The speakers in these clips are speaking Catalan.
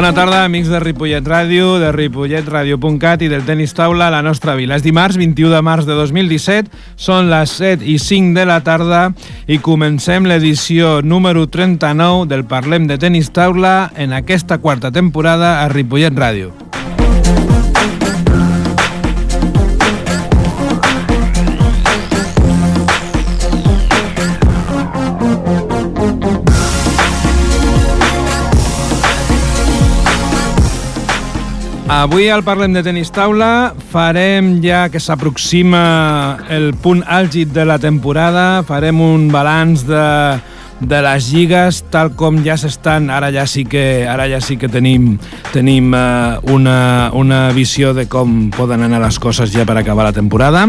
Bona tarda, amics de Ripollet Ràdio, de ripolletradio.cat i del tenis taula a la nostra vila. És dimarts, 21 de març de 2017, són les 7:05 de la tarda i comencem l'edició número 39 del Parlem de Tenis Taula en aquesta quarta temporada a Ripollet Ràdio. Avui al Parlem de Tenis Taula farem, ja que s'aproxima el punt àlgid de la temporada, farem un balanç de les lligues tal com ja s'estan. Ara ja sí que tenim una visió de com poden anar les coses ja per acabar la temporada.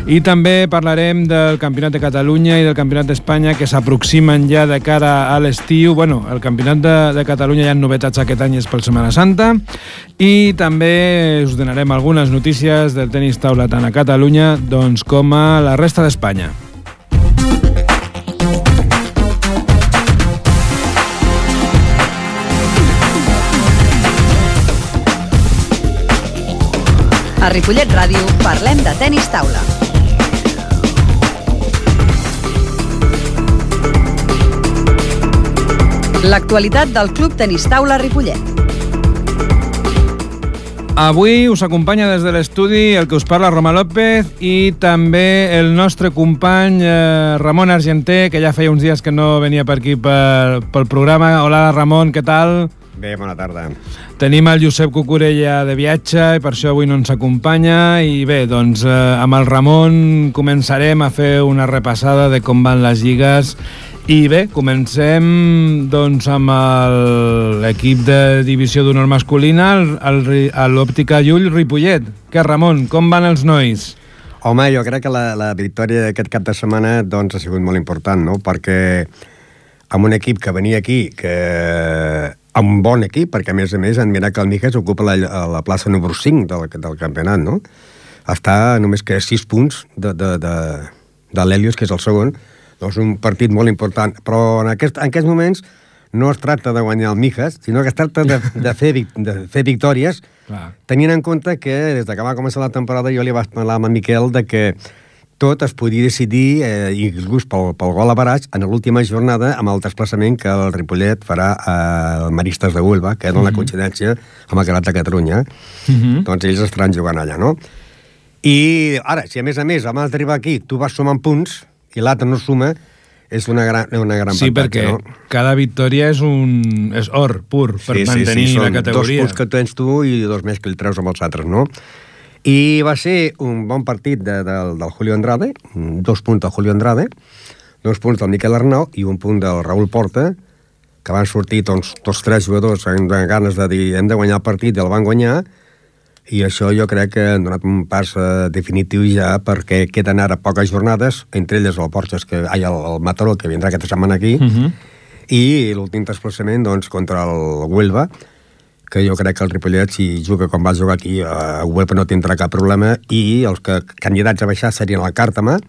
I també parlarem del Campionat de Catalunya i del Campionat d'Espanya que s'aproximen ja de cara a l'estiu. Bueno, el Campionat de Catalunya hi ha novetats aquest any, és per Setmana Santa. I també us donarem algunes notícies del tenis taula tant a Catalunya com a la resta d'Espanya. A Ripollet Ràdio parlem de tenis taula. L'actualitat del Club Tenis Taula Ripollet. Avui us acompanya des de l'estudi el que us parla, Roma López, i també el nostre company Ramon Argenter, que ja feia uns dies que no venia per aquí pel programa. Hola, Ramon, què tal? Bé, bona tarda. Tenim el Josep Cucurella de viatge i per això avui no ens acompanya. I bé, doncs amb el Ramon començarem a fer una repassada de com van les lligues. I bé, comencem doncs amb l'equip de divisió d'honor masculina, l'Òptica Llull Ripollet. Què, Ramon, com van els nois? Home, jo crec que la victòria d'aquest cap de setmana doncs, ha sigut molt important, no? Perquè amb un equip que venia aquí, amb un bon equip, perquè a més en Miracle Míguez ocupa la plaça número 5 del campionat, no? Està només que 6 punts de l'Helios, que és el segon. Doncs un partit molt important. Però en aquests moments no es tracta de guanyar el Míguez, sinó que es tracta de fer victòries, tenint en compte que des que va començar la temporada jo li vaig parlar amb en Miquel de que tot es podia decidir, inclús pel gol a Baraix, en l'última jornada amb el desplaçament que el Ripollet farà al Maristes de Huelva, que dona coincidència amb el Campionat de Catalunya. Doncs ells estaran jugant allà, no? I ara, si a més abans d'arribar aquí, tu vas sumant punts i l'altre no suma, és una gran avantatge, sí, perquè no? Cada victòria és or pur per mantenir la categoria. Són 2 punts que tens tu i 2 més que el treus amb els altres, no? I va ser un bon partit del Julio Andrade, 2 punts del Julio Andrade, 2 punts del Miquel Arnau i 1 punt del Raúl Porta, que van sortir tots 3 jugadors amb ganes de dir hem de guanyar el partit i el van guanyar, i això jo crec que han donat un pas definitiu ja, perquè queden ara poques jornades, entre elles el Porxes, el Mataró, que vindrà aquesta setmana aquí, i l'últim desplaçament doncs, contra el Huelva, que jo crec que el Ripollet, si juga com va jugar aquí, a Huelva no tindrà cap problema, i els candidats a baixar serien el Càrtama,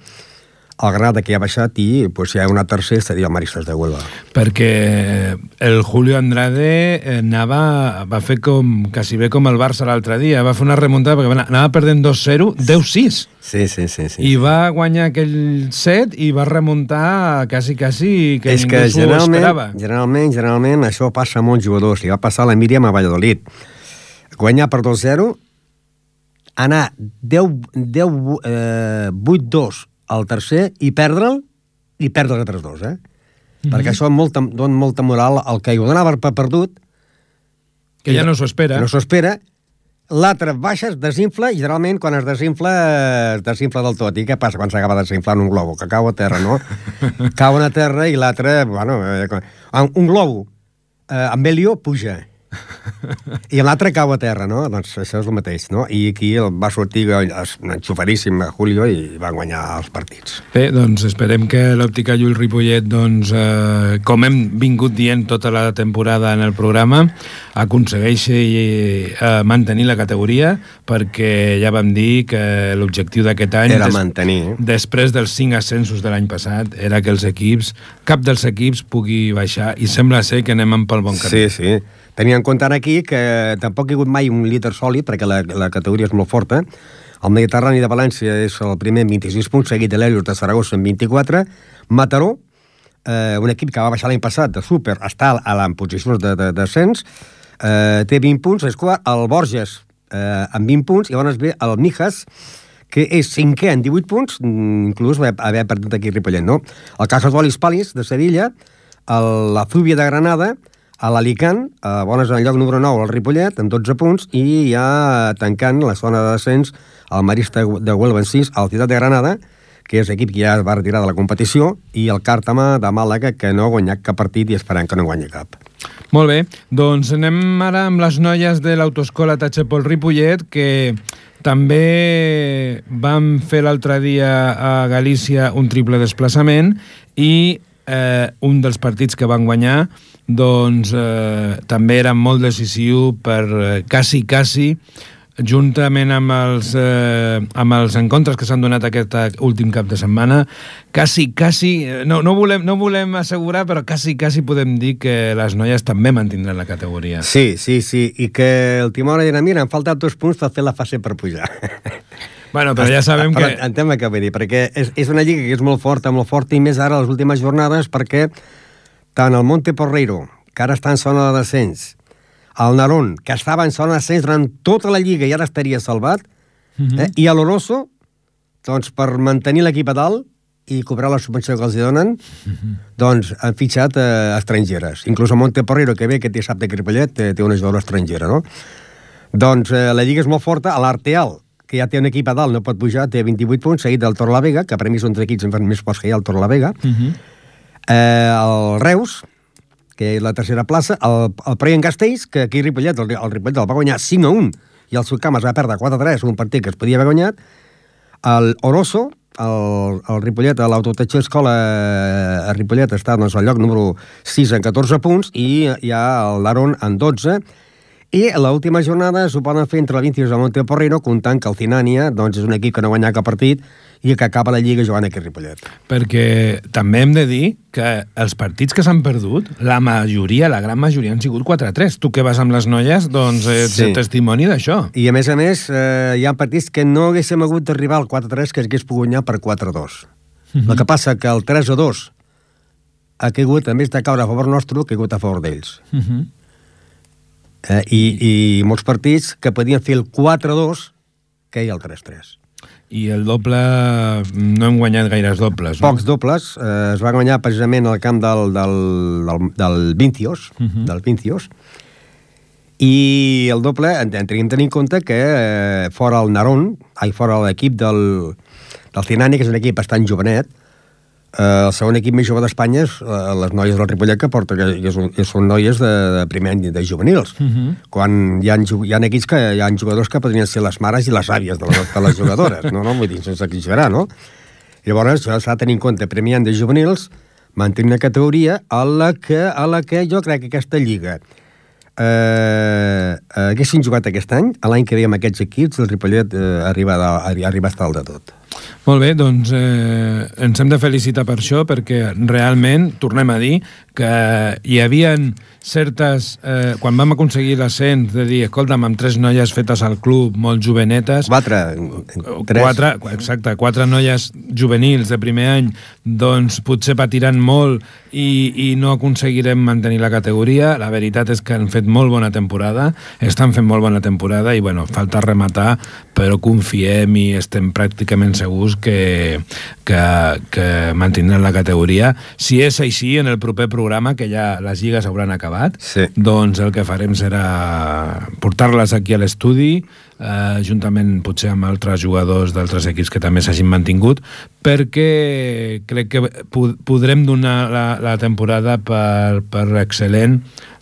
el Granada, que ja ha baixat, i si hi ha una tercera seria el Maristes de Huelva. Perquè el Julio Andrade va fer quasi bé com el Barça l'altre dia, va fer una remuntada perquè anava perdent 2-0, 10-6. Sí. I va guanyar aquell set i va remuntar quasi que ningú s'ho esperava. Generalment això passa a molts jugadors. Li va passar a la Míriam a Valladolid. Guanyar per 2-0, anar 8-2 al tercer i perdre'l i perdre els altres 2, perquè això dona molta moral al que ho donava per perdut, que ja no s'ho espera. L'altre baixa, es desinfla, i generalment quan es desinfla del tot. I què passa quan s'acaba desinflant un globo? Que cau a terra, no? Cau a terra i l'altre, un globo amb helio puja i l'altre cau a terra, no? Doncs això és el mateix, no? I aquí va sortir enxufaríssim a Julio i va guanyar els partits. Bé, doncs esperem que l'Òptica Llull Ripollet, com hem vingut dient tota la temporada en el programa, aconsegueixi mantenir la categoria, perquè ja vam dir que l'objectiu d'aquest any era mantenir. Després dels 5 ascensos de l'any passat era que cap dels equips pugui baixar, i sembla ser que anem pel bon camí. Sí. Tenint en compte aquí que tampoc hi ha hagut mai un líder sòlid, perquè la categoria és molt forta. El Mediterrani de València és el primer amb 26 punts, seguit de l'Helios de Saragossa amb 24. Mataró, un equip que va baixar l'any passat de súper, està en posicions de descens, té 20 punts, és quart. El Borges, amb 20 punts, i llavors ve el Mijas, que és cinquè en 18 punts, inclús haver perdut aquí Ripollet, no? El Casasolis Palis, de Sevilla, la Zúbia de Granada, l'Alicant, bones en el lloc número 9, el Ripollet, amb 12 punts, i ja tancant la zona de descens, el Marista de Huelva en 6, el Ciutat de Granada, que és l'equip que ja es va retirar de la competició, i el Càrtama de Màlaga, que no ha guanyat cap partit i esperant que no guanyi cap. Molt bé, doncs anem ara amb les noies de l'autoescola Tachepol Ripollet, que també vam fer l'altre dia a Galícia un triple desplaçament i un dels partits que van guanyar doncs també era molt decisiu per quasi, juntament amb els encontres que s'han donat aquest últim cap de setmana, quasi, no volem assegurar, però quasi podem dir que les noies també mantindran la categoria. Sí, i que el Timor dirà, mira, em falten 2 punts per fer la fase per pujar. Bueno, però ja sabem que... Entenc què vull dir, perquè és una lliga que és molt forta, i més ara les últimes jornades, perquè tant el Monte Porreiro, que ara està en zona de descens, el Narón, que estava en zona d'ascens durant tota la lliga i ara estaria salvat, i l'Oroso, doncs per mantenir l'equip a dalt i cobrar la subvenció que els donen, doncs han fitxat estrangeres. Inclús el Monteporrero, que ve aquest dissabte a Ripollet, té una jugadora estrangera, no? Doncs la lliga és molt forta. L'Arteal, que ja té un equip a dalt, no pot pujar, té 28 punts, seguit del Torlavega, que per mi són 3 equips més forts que hi ha el Torlavega. El Reus, que és la tercera plaça, el Preient Castells, que aquí a Ripollet, el Ripollet el va guanyar 5-1, i el Sucamas va perdre 4-3, un partit que es podia haver guanyat. El Oroso, el Ripollet, l'Autotetxer Escola a Ripollet està doncs, al lloc número 6 en 14 punts, i hi ha el Larón en 12, i l'última jornada s'ho poden fer entre la 20 i el Monteporrero, comptant que el Cinània doncs, és un equip que no guanya cap partit i que acaba la Lliga jugant aquí a Ripollet. Perquè també hem de dir que els partits que s'han perdut, la gran majoria han sigut 4-3. Tu que vas amb les noies, doncs ets testimoni d'això. I a més, hi ha partits que no haguéssim hagut d'arribar al 4-3, que hagués pogut guanyar per 4-2. El que passa que el 3-2 ha caigut, a més de caure a favor nostre, ha caigut a favor d'ells. I molts partits que podien fer el 4-2 que hi ha el 3-3. I el doble, no hem guanyat gaires dobles, no? Pocs dobles, es va guanyar precisament al camp del Vincios, i el doble, tenim en compte que fora el Narón, fora l'equip del Cinània, que és un equip bastant jovenet, el segon equip més jove d'Espanya és les noies del Ripollet, que són noies de primer any de juvenils. Quan hi ha equips que hi ha jugadors que podrien ser les mares i les àvies de les jugadores, no? Vull dir, sense exagerar, no? Llavors, s'ha de tenir en compte primer any de juvenils, mantenir una categoria a la que jo crec que aquesta lliga haguessin jugat aquest any, l'any que ve amb aquests equips, el Ripollet arriba a estar al de tot. Molt bé, doncs ens hem de felicitar per això, perquè realment, tornem a dir, que hi havien certes... quan vam aconseguir l'ascens de dir, escolta'm, amb 3 noies fetes al club, molt jovenetes... 4 noies juvenils de primer any, doncs potser patiran molt i no aconseguirem mantenir la categoria. La veritat és que han fet molt bona temporada, estan fent molt bona temporada i, bueno, falta rematar, però confiem i estem pràcticament segurs que mantindran la categoria. Si és així, en el proper programa, que ja les lligues hauran acabat, doncs el que farem serà portar-les aquí a l'estudi, juntament potser amb altres jugadors d'altres equips que també s'hagin mantingut, perquè crec que podrem donar la temporada per excel·lent,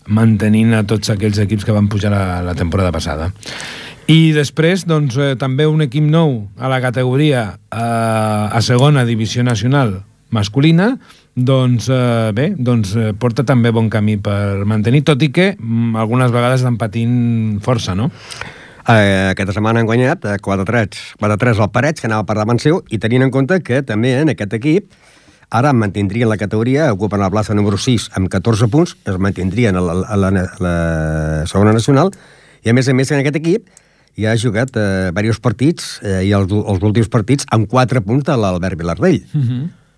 mantenint a tots aquells equips que van pujar la temporada passada. I després, doncs, també un equip nou a la categoria a segona divisió nacional masculina, doncs bé, doncs porta també bon camí per mantenir, tot i que algunes vegades estan patint força, no? Aquesta setmana han guanyat 4-3 al Parets, que anava per davant seu, i tenint en compte que també en aquest equip ara mantindrien la categoria, ocupen la plaça número 6 amb 14 punts, es mantindrien a la segona nacional, i a més, en aquest equip ja ha jugat diversos partits, i els últims partits amb 4 punts de l'Albert Vilardell.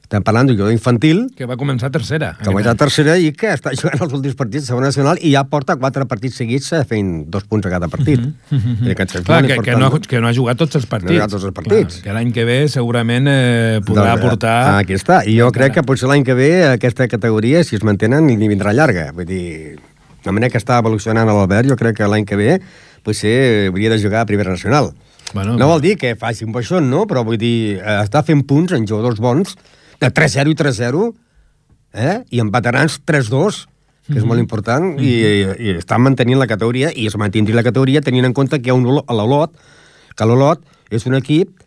Estem parlant d'un jugador infantil... Que va començar tercera. Que va començar tercera i que està jugant els últims partits de segona nacional i ja porta 4 partits seguits fent 2 punts a cada partit. Clar, que no ha jugat tots els partits. No ha jugat tots els partits. Clar, que l'any que ve segurament podrà aportar... Aquí està. I jo crec que potser l'any que ve aquesta categoria, si es mantenen, ni vindrà llarga. Vull dir, de manera que està evolucionant l'Albert, jo crec que l'any que ve potser hauria de jugar a primera nacional. No vol dir que faci un baixón, no? Però vull dir, està fent punts en jugadors bons de 3-0 i 3-0, i en veterans 3-2, que és molt important, i estan mantenint la categoria, i es mantindria la categoria tenint en compte que hi ha l'Olot, que l'Olot és un equip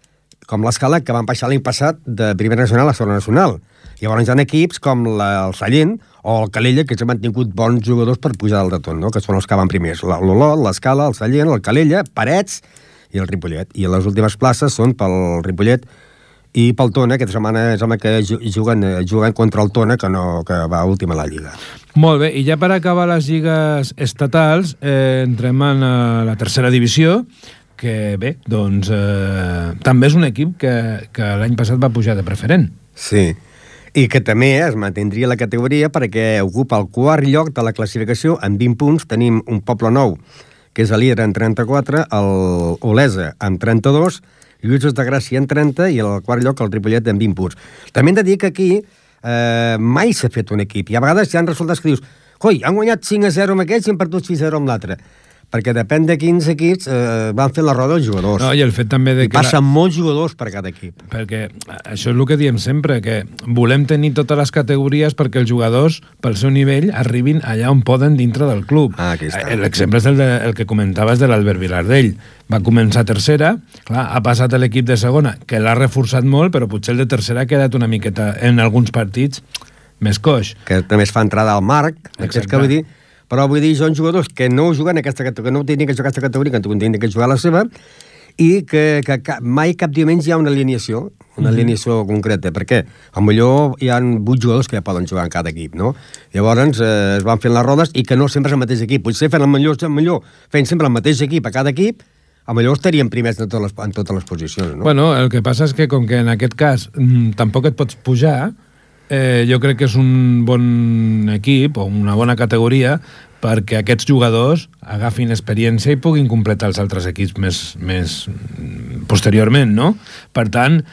com l'Escala que van baixar l'any passat de primera nacional a segona nacional. Llavors hi ha equips com el Sallent o el Calella que s'han mantingut bons jugadors per pujar dalt de tot, no? Que són els que van primers. L'Olot, l'Escala, el Sallent, el Calella, Parets i el Ripollet. I les últimes places són pel Ripollet i pel Tona, aquesta setmana sembla que juguen contra el Tona, que va últim a la Lliga. Molt bé, i ja per acabar les lligues estatals, entrem en la tercera divisió, que bé, doncs també és un equip que l'any passat va pujar de preferent. Sí, i que també es mantindria la categoria perquè ocupa el quart lloc de la classificació amb 20 punts. Tenim un Poble Nou, que és el líder amb 34, el Olesa amb 32, Lluïsos de Gràcia en 30 i el quart lloc el Ripollet en 20 punts. També hem de dir que aquí mai s'ha fet un equip i a vegades hi ha resultats que dius coi, han guanyat 5-0 amb aquests i han perdut 6-0 amb l'altre. Perquè depèn de quins equips van fer la roda els jugadors. No, i el fet també de que passen molts jugadors per cada equip. Perquè això és el que diem sempre, que volem tenir totes les categories perquè els jugadors, pel seu nivell, arribin allà on poden dintre del club. Aquí està. L'exemple és el que comentaves de l'Albert Vilardell. Va començar tercera, clar, ha passat a l'equip de segona, que l'ha reforçat molt, però potser el de tercera ha quedat una miqueta, en alguns partits, més coix. Que també es fa entrada al Marc, que vull dir... Però vull dir, són jugadors que no juguen aquesta categoria, que no tenen que jugar aquesta categoria, que tenen que jugar la seva, i que mai cap diumenge hi ha una alineació concreta, perquè potser hi ha 8 jugadors que ja poden jugar en cada equip, no? Llavors es van fent les rodes i que no sempre és el mateix equip. Potser fent fent sempre el mateix equip a cada equip, potser estaríem primers en totes les posicions, no? Bueno, el que passa és que com que en aquest cas tampoc et pots pujar, jo crec que és un bon equip o una bona categoria perquè aquests jugadors agafin experiència i puguin completar els altres equips més posteriorment, no? Per tant,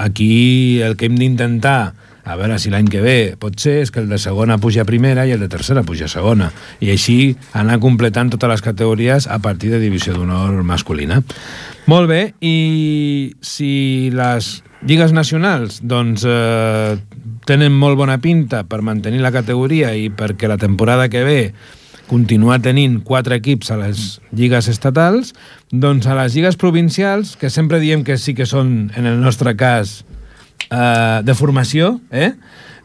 aquí el que hem d'intentar, a veure si l'any que ve pot ser, és que el de segona puja a primera i el de tercera puja a segona. I així anar completant totes les categories a partir de divisió d'honor masculina. Molt bé, i si les lligues nacionals doncs tenen molt bona pinta per mantenir la categoria i perquè la temporada que ve continuar tenint 4 equips a les lligues estatals, doncs a les lligues provincials, que sempre diem que sí que són, en el nostre cas, de formació,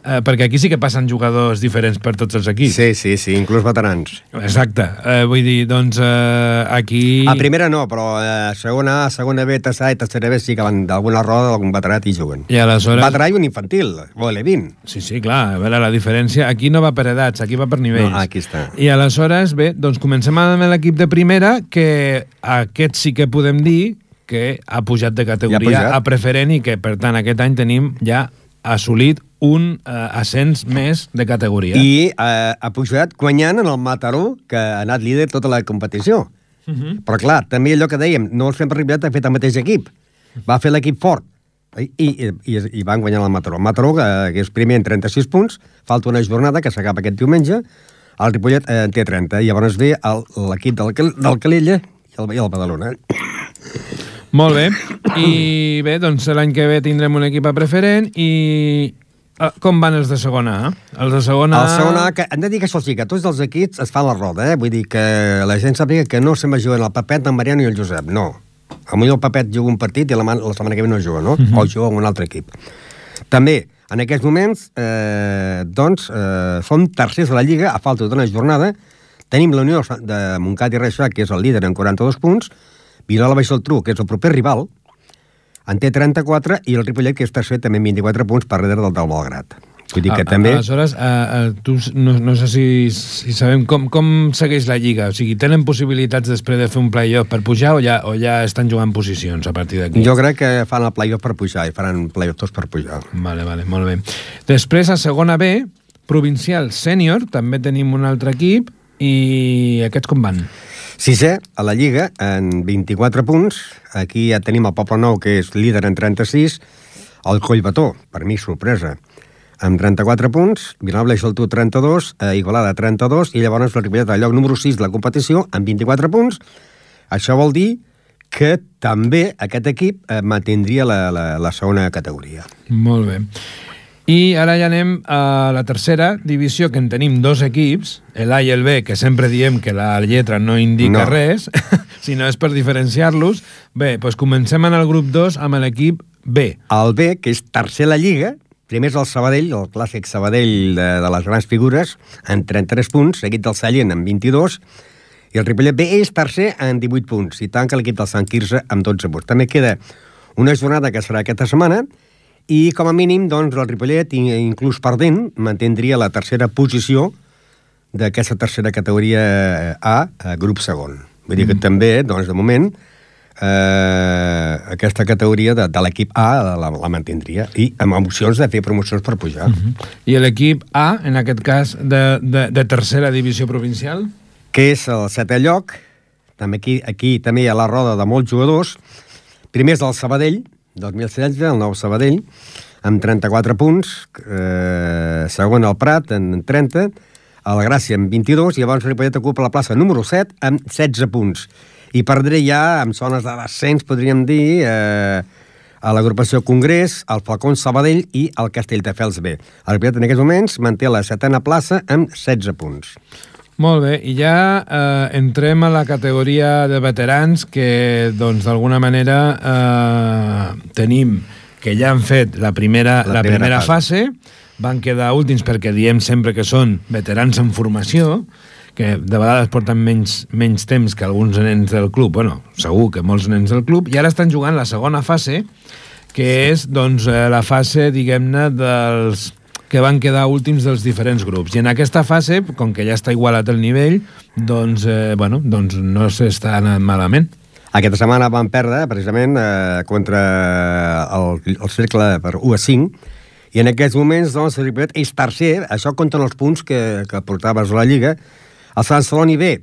perquè aquí sí que passen jugadors diferents per tots els equips. Sí, inclús veterans. Exacte. Vull dir, doncs, aquí... A primera no, però segona B, tercera i tercera B sí que van d'alguna roda d'algun veterat i juguen. I aleshores... Veterà i un infantil, o l'E20. Sí, clar, a veure, la diferència... Aquí no va per edats, aquí va per nivells. No, aquí està. I aleshores, bé, doncs comencem amb l'equip de primera, que aquest sí que podem dir que ha pujat de categoria a preferent i que, per tant, aquest any tenim ja assolit un ascens més de categoria. I ha pujat guanyant en el Mataró, que ha anat líder tota la competició. Però clar, també allò que dèiem, no el fem per Ripollet, ha fet el mateix equip. Va fer l'equip fort. I van guanyar el Mataró. El Mataró, que és primer en 36 punts, falta una jornada que s'acaba aquest diumenge, el Ripollet en té 30, i llavors ve l'equip del Calella i el Badalona. Molt bé. I bé, doncs l'any que ve tindrem un equip a preferent i... Com van els de segona A? Els de segona A... El segona A, hem de dir que això sí, que tots els equips es fan la roda, Vull dir que la gent sàpiga que no se'n va jugant el Pepet, el Mariano i el Josep, no. Potser el Pepet juga un partit i la setmana que ve no juga, no? O juga amb un altre equip. També, en aquests moments, som tercers de la Lliga, a falta d'una jornada. Tenim la Unió de Montcat i Reixac, que és el líder en 42 punts, Vilanova i Geltrú, que és el proper rival, en té 34, i el Ripollet, que és tercer, també amb 24 punts per darrere del Belgrat. Vull dir que també... Aleshores, tu no sé si sabem com segueix la Lliga. O sigui, tenen possibilitats després de fer un play-off per pujar o ja estan jugant posicions a partir d'aquí? Jo crec que fan el play-off per pujar i faran play-off tots per pujar. Vale, molt bé. Després, a segona B, provincial sènior, també tenim un altre equip, i aquests com van? Sisè, a la Lliga, en 24 punts. Aquí ja tenim el Poble Nou, que és líder en 36. El Collbató, per mi, sorpresa, amb 34 punts, Vilanova i Geltrú 32, Igualada 32, i llavors el Ripollet al lloc número 6 de la competició amb 24 punts. Això vol dir que també aquest equip mantindria la segona categoria. Molt bé. I ara ja anem a la tercera divisió, que en tenim dos equips, l'A i el B, que sempre diem que la lletra no indica res, sinó és per diferenciar-los. Bé, doncs comencem en el grup 2 amb l'equip B. El B, que és tercer a la Lliga, primer és el Sabadell, el clàssic Sabadell de les grans figures, amb 33 punts, seguit del Sallent amb 22, i el Ripollet B és tercer amb 18 punts, i tanca l'equip del Sant Quirze amb 12 punts. També queda una jornada que serà aquesta setmana, i com a mínim, doncs, el Ripollet, inclús perdent, mantindria la tercera posició d'aquesta tercera categoria A, grup segon. Vull dir que també, doncs, de moment, aquesta categoria de l'equip A la mantindria, i amb opcions de fer promocions per pujar. I l'equip A, en aquest cas, de tercera divisió provincial? Que és el setè lloc. També aquí també hi ha la roda de molts jugadors. Primer és el Sabadell, 2016, el nou Sabadell, amb 34 punts, segon el Prat, en 30, el Gràcia amb 22, i llavors el Ripollet ocupa la plaça número 7 amb 16 punts. I perdré ja, amb zones de descens, podríem dir, a l'agrupació Congrés, el Falcón Sabadell i el Castelldefels B. El Ripollet en aquests moments manté la setena plaça amb 16 punts. Molt bé, i ja entrem a la categoria de veterans, que doncs d'alguna manera tenim que ja han fet la primera fase, van quedar últims perquè diem sempre que són veterans en formació, que de vegades porten menys temps que alguns nens del club, bueno, segur que molts nens del club, i ara estan jugant la segona fase, que és doncs la fase, diguem-ne, dels que van quedar últims dels diferents grups. I en aquesta fase, com que ja està igualat el nivell, doncs no s'està anant malament. Aquesta setmana van perdre, precisament, contra el Cercle per 1-5, i en aquests moments, doncs, el Ripollet és tercer, això compten els punts que portaves a la Lliga. El Sant Celoni B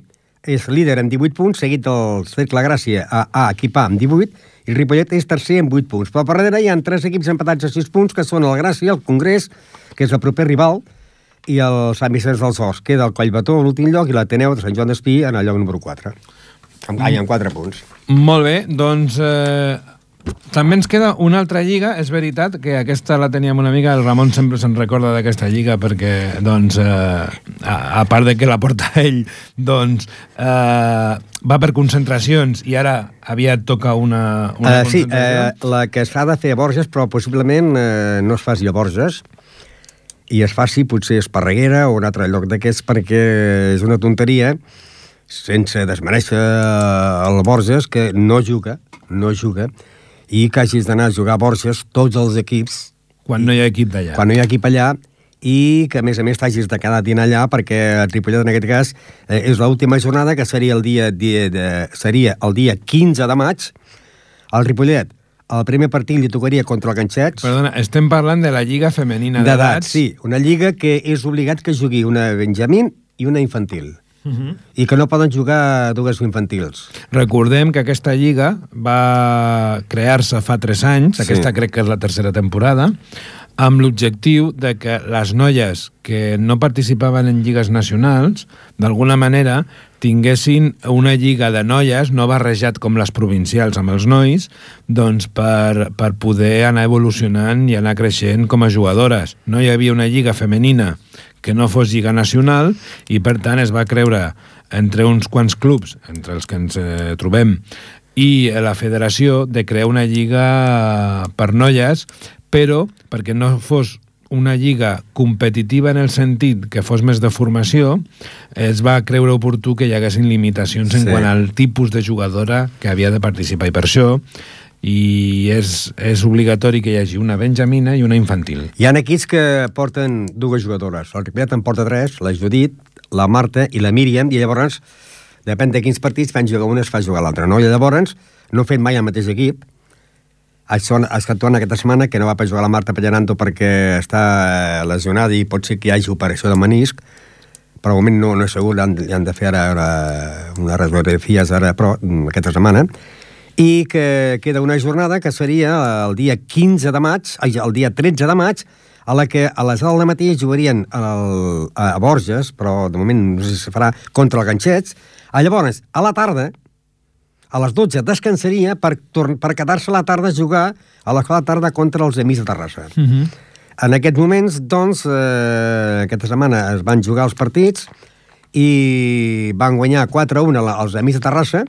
és líder amb 18 punts, seguit del Cercle Gràcia A, equip A, amb 18, i el Ripollet és tercer amb 8 punts. Però per darrere hi ha 3 equips empatats a 6 punts, que són el Gràcia, el Congrés, que és el proper rival, i el Sant Vicenç dels Horts. Queda el Collbató a l'últim lloc i l'Ateneu de Sant Joan d'Espí en el lloc número 4. Amb 4 punts. Molt bé, doncs també ens queda una altra lliga. És veritat que aquesta la teníem una mica, el Ramon sempre se'n recorda d'aquesta lliga perquè, doncs, a part de que la porta ell, doncs, va per concentracions i ara aviat toca una concentració. Sí, la que s'ha de fer a Borges, però possiblement no es faci a Borges, i es faci potser a Esparreguera o un altre lloc d'aquests, perquè és una tonteria, sense desmereixer el Borges, que no juga, i que hagis d'anar a jugar a Borges tots els equips. Quan no hi ha equip d'allà. Quan no hi ha equip allà, i que, a més t'hagis de quedar dient allà, perquè el Ripollet, en aquest cas, és l'última jornada, que seria el dia 15 de maig. El Ripollet, el primer partit li tocaria contra el Ganxets. Perdona, estem parlant de la Lliga Femenina d'edats. Sí, una lliga que és obligat que jugui una benjamín i una infantil. I que no poden jugar dues infantils. Recordem que aquesta lliga va crear-se fa 3 anys, aquesta crec que és la tercera temporada, amb l'objectiu de que les noies que no participaven en lligues nacionals, d'alguna manera, tinguessin una lliga de noies, no barrejat com les provincials amb els nois, doncs per poder anar evolucionant i anar creixent com a jugadores. No hi havia una lliga femenina que no fos lliga nacional i, per tant, es va creure entre uns quants clubs, entre els que ens trobem, i la federació, de crear una lliga per noies, però perquè no fos una lliga competitiva en el sentit que fos més de formació, es va creure oportú que hi haguessin limitacions en quant al tipus de jugadora que havia de participar. I per això i és obligatori que hi hagi una benjamina i una infantil. Hi ha equips que porten dues jugadores. El Ripollet en porta 3, la Judit, la Marta i la Míriam, i llavors, depèn de quins partits, fan jugar una, es fa jugar l'altra, no? I llavors, no han fet mai el mateix equip. Ha estat aquesta setmana que no va per jugar la Marta Pelleranto perquè està lesionada i pot ser que hi hagi operació de menisc, però al moment no és segur, han de fer ara una radiografia aquesta setmana, i que queda una jornada que seria el dia 15 de maig, el dia 13 de maig, a la que a les 10 del matí jugarien a Borges, però de moment no sé si se farà contra el Ganxets. Llavors, a la tarda, a les 12 descansaria per quedar-se a la tarda a jugar a l'escola de tarda contra els Amics de Terrassa. En aquests moments, doncs, aquesta setmana es van jugar els partits i van guanyar 4-1 els Amics de Terrassa,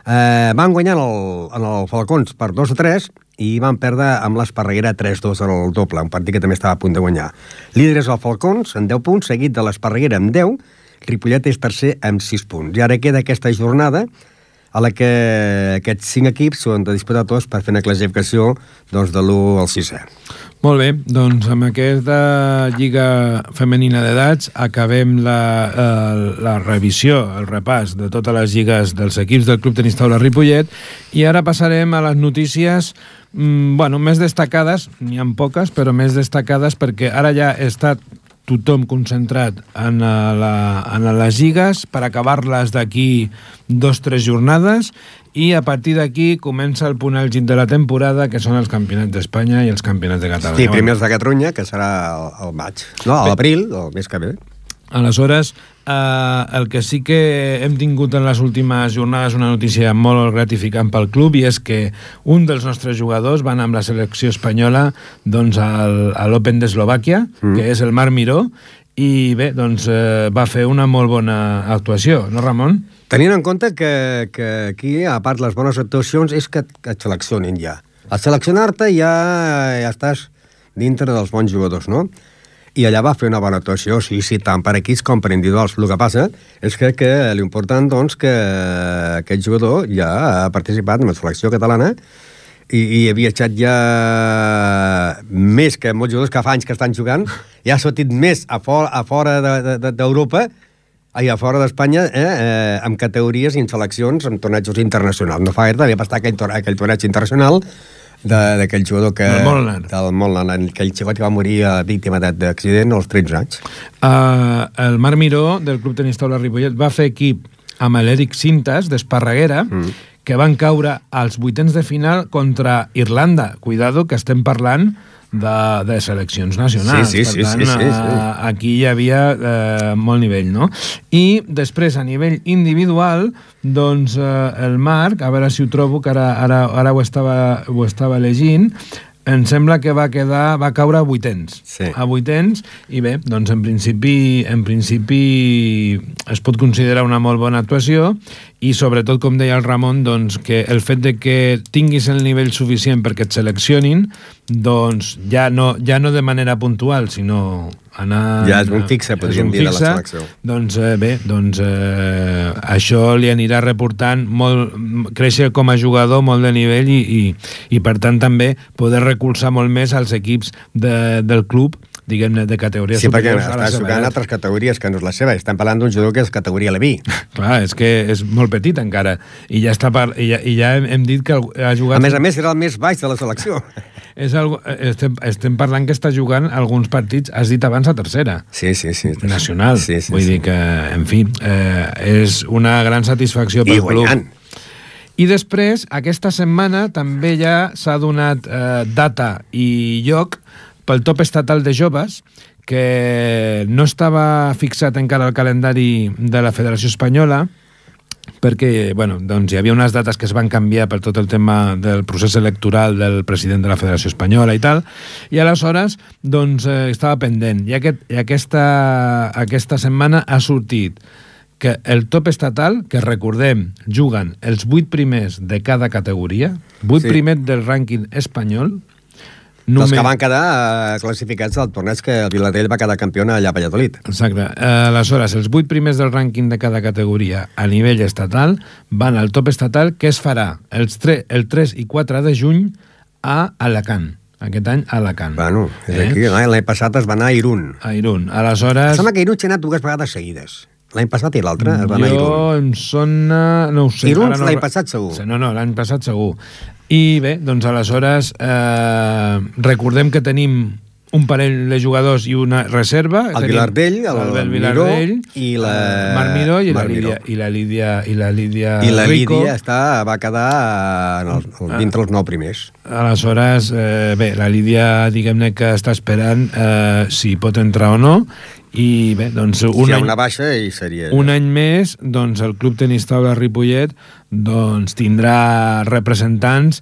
van guanyar en el Falcons per 2-3 i van perdre amb l'Esparreguera 3-2 al doble, un partit que també estava a punt de guanyar. Líder és el Falcons, amb 10 punts, seguit de l'Esparreguera amb 10, Ripollet és tercer amb 6 punts. I ara queda aquesta jornada a la que aquests 5 equips són de disputar tots per fer una classificació doncs, de l'1 al 6è. Molt bé, doncs amb aquesta Lliga Femenina d'Edats acabem la revisió, el repàs de totes les lligues dels equips del Club Tenis Taula Ripollet, i ara passarem a les notícies més destacades, n'hi ha poques, però més destacades perquè ara ja està tothom concentrat en les lligues per acabar-les d'aquí 2-3 jornades i a partir d'aquí comença el punt àlgid de la temporada, que són els campionats d'Espanya i els campionats de Catalunya. Sí, primers de Catalunya, que serà al maig. No, a l'abril, el mes que ve. Aleshores, el que sí que hem tingut en les últimes jornades una notícia molt gratificant pel club, i és que un dels nostres jugadors va anar amb la selecció espanyola doncs, a l'Open d'Eslovàquia, que és el Marc Miró, i bé, doncs va fer una molt bona actuació, no, Ramon? Tenint en compte que aquí, a part les bones actuacions, és que et seleccionin ja. Al seleccionar-te ja estàs dintre dels bons jugadors, no? I allà va fer una bona actuació, sí, tant per equips com per individuals. El que passa és que l'important, doncs, que aquest jugador ja ha participat en la selecció catalana i ha viatjat ja més que molts jugadors que fa anys que estan jugant, ja ha sortit més a fora d'Europa i a fora d'Espanya amb categories i en seleccions amb tornejos internacionals. No fa gaire, havia passat aquell torneig internacional d'aquell jugador del Molnar, aquell xicot que va morir víctima d'accident als 13 anys. El Marc Miró, del Club Tenis Taula Ripollet, va fer equip amb l'Eric Cintas, d'Esparreguera, que van caure als vuitens de final contra Irlanda. Cuidado, que estem parlant de seleccions nacionals. Sí. Aquí hi havia molt nivell, no? I després, a nivell individual, doncs el Marc, a veure si ho trobo, que ara ho estava llegint, em sembla que va caure a vuitens. Sí. A vuitens, i bé, doncs en principi es pot considerar una molt bona actuació, i sobretot, com deia el Ramon, doncs que el fet de que tinguis el nivell suficient perquè et seleccionin, doncs ja no de manera puntual, sinó anar... Ja és un fixe, podríem dir, de la selecció. Doncs bé, això li anirà reportant créixer com a jugador molt de nivell i per tant també poder recolzar molt més als equips del club, diguem-ne, de categories superiors. Sí, perquè està jugant altres categories que no és la seva. Estem parlant d'un jugador que és categoria Leví. Clar, és que és molt petit encara. I ja hem dit que ha jugat... A més, era el més baix de la selecció. Estem parlant que està jugant alguns partits, has dit abans, a tercera. Sí. Nacional. Vull dir que, en fi, és una gran satisfacció pel club. I guanyant. I després, aquesta setmana, també ja s'ha donat data i lloc pel top estatal de joves, que no estava fixat encara al calendari de la Federació Espanyola, perquè doncs hi havia unes dates que es van canviar per tot el tema del procés electoral del president de la Federació Espanyola i tal, i aleshores doncs estava pendent. I aquesta setmana ha sortit que el top estatal, que recordem, juguen els 8 primers de cada categoria, 8 primers del rànquing espanyol, dels que van quedar classificats al torneig que el Vilardell va quedar campió allà a Valladolid. Exacte. Aleshores, els 8 primers del rànquing de cada categoria a nivell estatal van al top estatal, que es farà el 3 i 4 de juny a Alacant. Aquest any a Alacant. Bueno, és aquí. L'any passat es va anar a Irún. A Irún. Aleshores... Em sembla que Irún s'ha anat 2 vegades seguides. L'any passat i l'altre es va anar a Irún. Em sona... No ho sé. Irún l'any passat segur. No, l'any passat segur. I bé, doncs aleshores recordem que tenim un parell de jugadors i una reserva. El Vilardell, el Miró i la Marc Miró i la Lídia Rico. I la Lídia va quedar dintre els 9 primers. Aleshores, bé, la Lídia, diguem-ne que està esperant si pot entrar o no. I bé, doncs si hi ha una baixa i seria... Un any més, doncs el Club Tenis Taula Ripollet doncs tindrà representants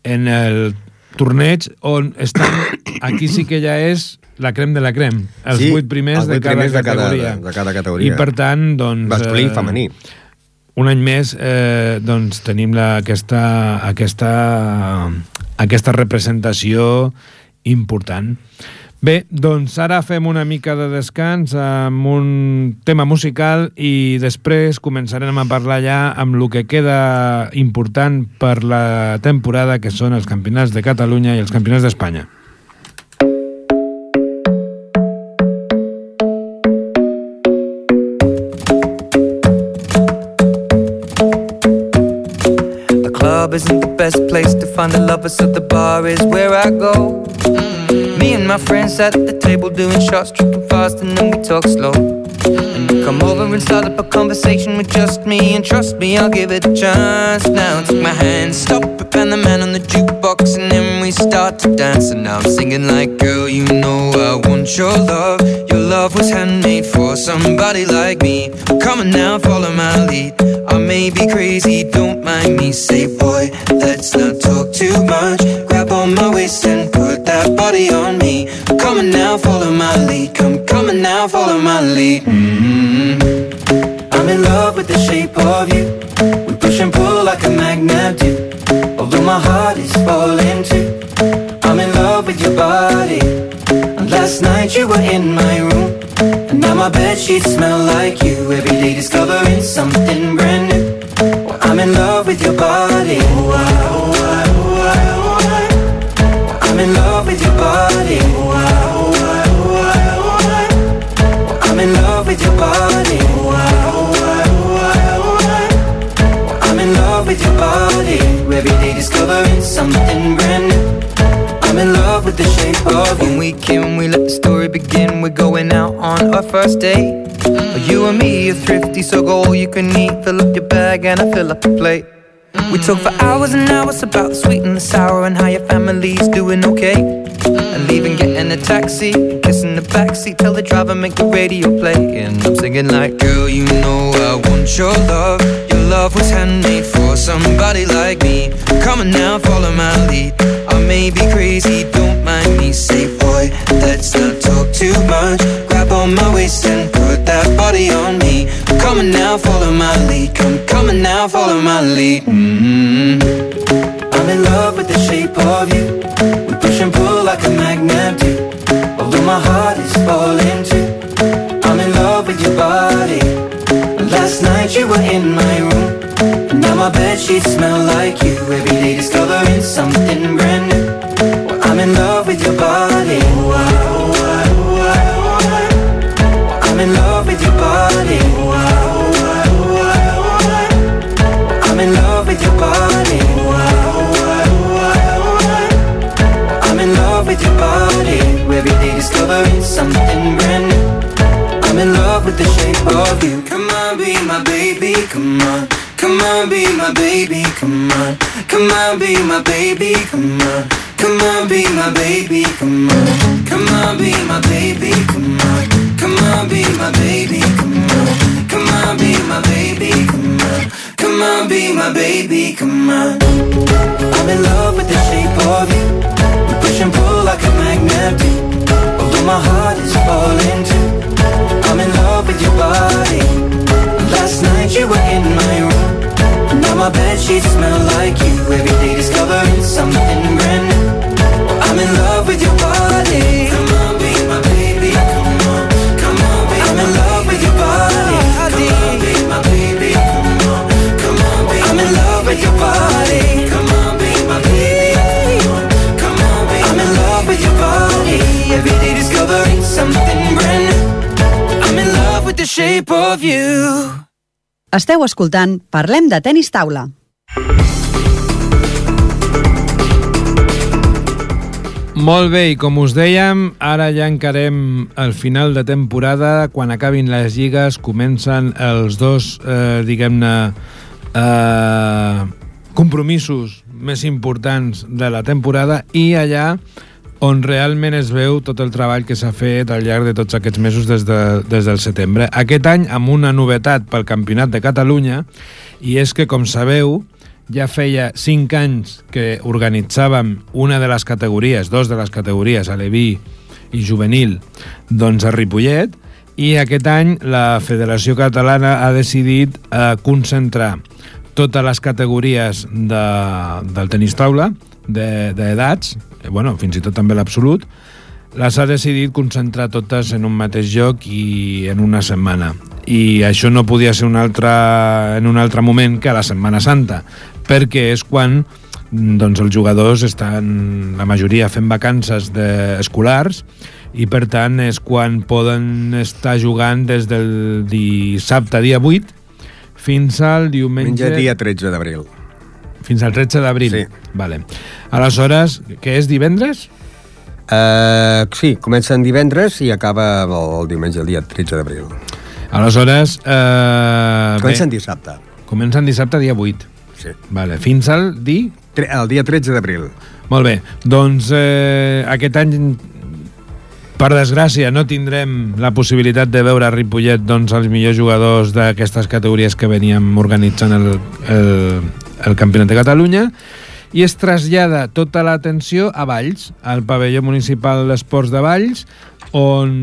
en el torneig on estan... Aquí sí que ja és la crem de la crem. Els 8 primers de cada categoria. I per tant, doncs... Masculí i femení. Un any més, doncs tenim aquesta representació important. Bé, doncs ara fem una mica de descans amb un tema musical i després començarem a parlar ja amb el que queda important per la temporada, que són els campionats de Catalunya i els campionats d'Espanya. The club isn't the best place to find the lovers, so the bar is where I go. Me and my friends sat at the table doing shots, tripping fast, and then we talk slow. And you come over and start up a conversation with just me, and trust me, I'll give it a chance. Now take my hand, stop it, and the man on the jukebox, and then we start to dance. And now I'm singing like, girl, you know I want your love. Your love was handmade for somebody like me. Come on now, follow my lead. I may be crazy, don't mind me. Say, boy, let's not talk too much. Grab on my waist and put that body on me. Come on now, follow my lead. Come on now, follow my lead. I'm in love with the shape of you. We push and pull like a magnet do. Although my heart is falling too. I'm in love with your body. And last night you were in my room, and now my bedsheets smell like you. Every day discovering something brand new. Well, I'm in love with your body. I'm in love with your body. I'm in love with your body. I'm in love with your body. Every day discovering something brand new. I'm in love with the shape of you. When we came, we let the story begin. We're going out on our first date. You and me are thrifty, so go all you can eat. Fill up your bag and I fill up the plate. We talk for hours and hours about the sweet and the sour, and how your family's doing okay. And leaving, getting a taxi, kissing the backseat, tell the driver make the radio play. And I'm singing like, girl, you know I want your love. Your love was handmade for somebody like me. Come on now, follow my lead. I may be crazy, don't mind me. Say, boy, let's not talk too much. Grab on my waist and put that body on me. Come on now, follow my lead. Come on now, follow my lead. I'm in love with the shape of you. We push and pull like a magnet do. Although my heart is falling too. I'm in love with your body. Last night you were in my room, and now my bedsheets smell like you. Every day discovering something brand new. Well, I'm in love with your body. I'm in love with your body. I'm in love with your body. I'm in love with your body. Every day discovering something brand new. I'm in love with the shape of you. Come on, be my baby, come on. Come on, be my baby, come on. Come on, be my baby, come on. Come on, be my baby, come on. Come on, be my baby, come on. Come on, be my baby, come on. Come on, be my baby, come on. Come on, be my baby, come on. I'm in love with the shape of you. We push and pull like a magnet do. Although my heart is falling too. I'm in love with your body. Last night you were in my room, and now my bedsheets smell like you. Every day discovering something brand new. I'm in love with with your body. Every day discovering something brand new. I'm in love with the shape of you. Esteu escoltant Parlem de Tenis Taula. Molt bé, i com us dèiem, ara ja encarem el final de temporada. Quan acabin les lligues comencen els dos, diguem-ne, compromisos més importants de la temporada i allà on realment es veu tot el treball que s'ha fet al llarg de tots aquests mesos des del setembre. Aquest any amb una novetat pel Campionat de Catalunya, i és que, com sabeu, ja feia 5 anys que organitzàvem una de les categories, dos de les categories, aleví i juvenil, doncs a Ripollet, i aquest any la Federació Catalana ha decidit concentrar totes les categories del tenis taula, d'edats, bueno, fins i tot també l'absolut, les ha decidit concentrar totes en un mateix lloc i en una setmana. I això no podia ser en un altre moment que a la Setmana Santa, perquè és quan doncs, els jugadors estan, la majoria, fent vacances escolars i, per tant, és quan poden estar jugant des del dissabte, dia 8, fins al diumenge... dia 13 d'abril. Fins al 13 d'abril? Sí. Vale. Aleshores, què és, divendres? Sí, comencen divendres i acaba el diumenge, el dia 13 d'abril. Aleshores... Comencen dissabte. Comencen dissabte, dia 8. Sí. Vale. Fins al el dia 13 d'abril. Molt bé. Doncs aquest any, per desgràcia, no tindrem la possibilitat de veure a Ripollet doncs, els millors jugadors d'aquestes categories que veníem organitzant el Campionat de Catalunya, i es trasllada tota l'atenció a Valls, al pavelló municipal d'esports de Valls, on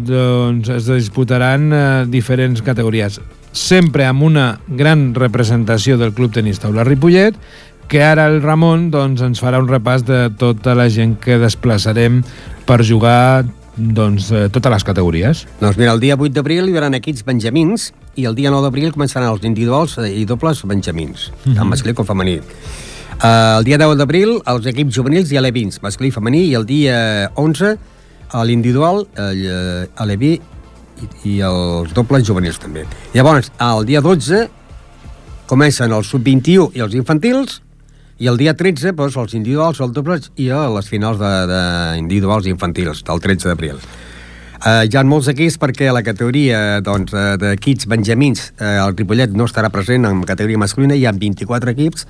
doncs, es disputaran diferents categories, sempre amb una gran representació del Club Tenis Taula Ripollet, que ara el Ramon doncs, ens farà un repàs de tota la gent que desplaçarem per jugar doncs, totes les categories. Doncs mira, el dia 8 d'abril hi haurà equips benjamins i el dia 9 d'abril començaran els individuals i dobles benjamins, tant masculí com femení. El dia 10 d'abril els equips juvenils i alevins, masculí i femení, i el dia 11 l'individual, aleví i els dobles juvenils també. Llavors, el dia 12 comencen els sub-21 i els infantils, i el dia 13 doncs, els individuals, els dobles i les finals d'individuals i infantils, del 13 d'abril. Hi ha molts equips perquè la categoria doncs, d'equips benjamins, el Ripollet no estarà present en categoria masculina, hi ha 24 equips,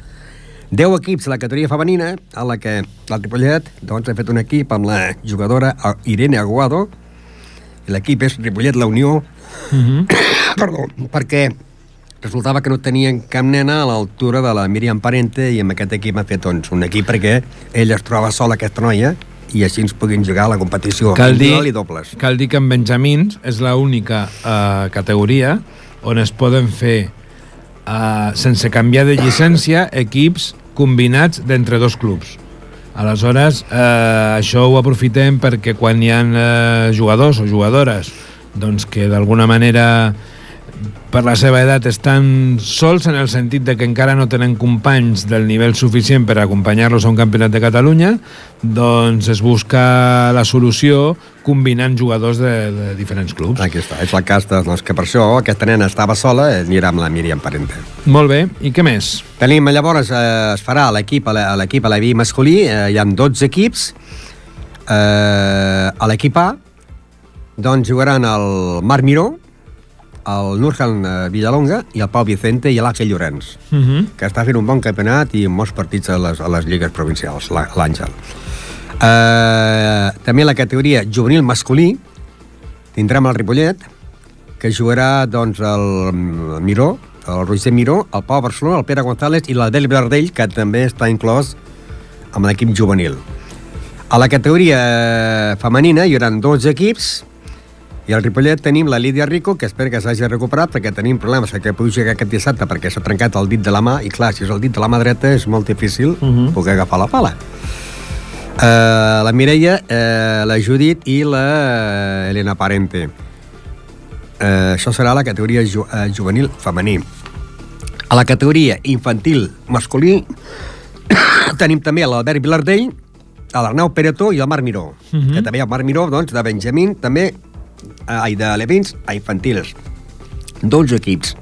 10 equips a la categoria femenina, a la que el Ripollet doncs, ha fet un equip amb la jugadora Irene Aguado, i l'equip és Ripollet La Unió, perdó, perquè resultava que no tenien cap nena a l'altura de la Míriam Parente, i amb aquest equip ha fet doncs, un equip perquè ella es troba sola, aquesta noia, i així ens puguin jugar a la competició individual i dobles. Cal dir que en benjamins és l'única categoria on es poden fer, sense canviar de llicència, equips combinats d'entre dos clubs. Aleshores, això ho aprofitem perquè quan hi ha jugadors o jugadores doncs que d'alguna manera per la seva edat estan sols, en el sentit de que encara no tenen companys del nivell suficient per acompanyar-los a un campionat de Catalunya, doncs es busca la solució combinant jugadors de diferents clubs. Aquí està, és el cas doncs, que per això aquesta nena estava sola, anirà amb la Míriam Parente. Molt bé, i què més? Tenim, llavors, es farà l'equip aleví masculí, hi ha 12 equips, a l'equip A doncs jugaran el Marc Miró, el Nurjan Villalonga i el Pau Vicente i l'Àngel Llorenç, que està fent un bon campionat i molts partits a les lligues provincials, l'Àngel. També la categoria juvenil masculí tindrem el Ripollet, que jugarà doncs, el Miró, el Roger Miró, el Pau Barcelona, el Pere González i l'Adel Verdell, que també està inclòs amb l'equip juvenil. A la categoria femenina hi haurà 12 equips, i al Ripollet tenim la Lídia Rico, que espero que s'hagi recuperat, perquè tenim problemes que pugui jugar aquest dissabte perquè s'ha trencat el dit de la mà, i clar, si és el dit de la mà dreta és molt difícil poder agafar la pala. La Mireia, la Judit i la Elena Parente. Això serà la categoria juvenil femení. A la categoria infantil masculí tenim també l'Albert Vilardell, l'Arnau Peretó i el Marc Miró, que també hi ha el Marc Miró, doncs, de Benjamín, també, de Levins a infantils. 12 equips.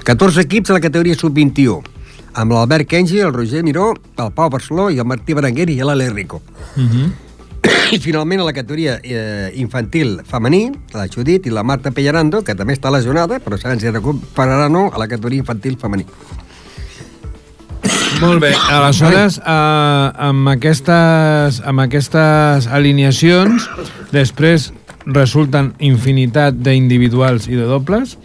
14 equips a la categoria sub-21, amb l'Albert Kenji, el Roger Miró, el Pau Barceló i el Martí Berenguer i l'Ale Rico. I finalment a la categoria infantil femení, la Judit i la Marta Pellerando, que també està lesionada, però sabem si recuperarà o no a la categoria infantil femení. Molt bé, aleshores, amb aquestes alineacions, després resulten infinitat d'individuals i de dobles,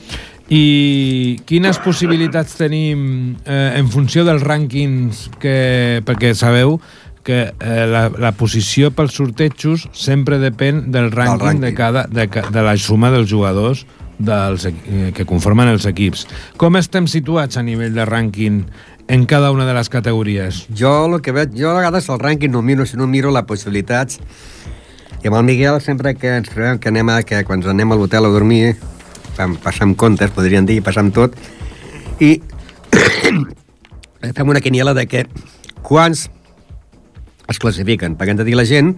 i quines possibilitats tenim en funció dels rànquings, perquè sabeu que la posició pels sortejos sempre depèn del rànquing de la suma dels jugadors que conformen els equips. Com estem situats a nivell de rànquing en cada una de les categories? Jo el que veig, a vegades el rànquing no miro, sinó miro les possibilitats. I amb el Miguel sempre que ens trobem que quan anem a l'hotel a dormir passem comptes, podríem dir, passem tot, i fem una quiniela de que quants es classifiquen, perquè hem de dir a la gent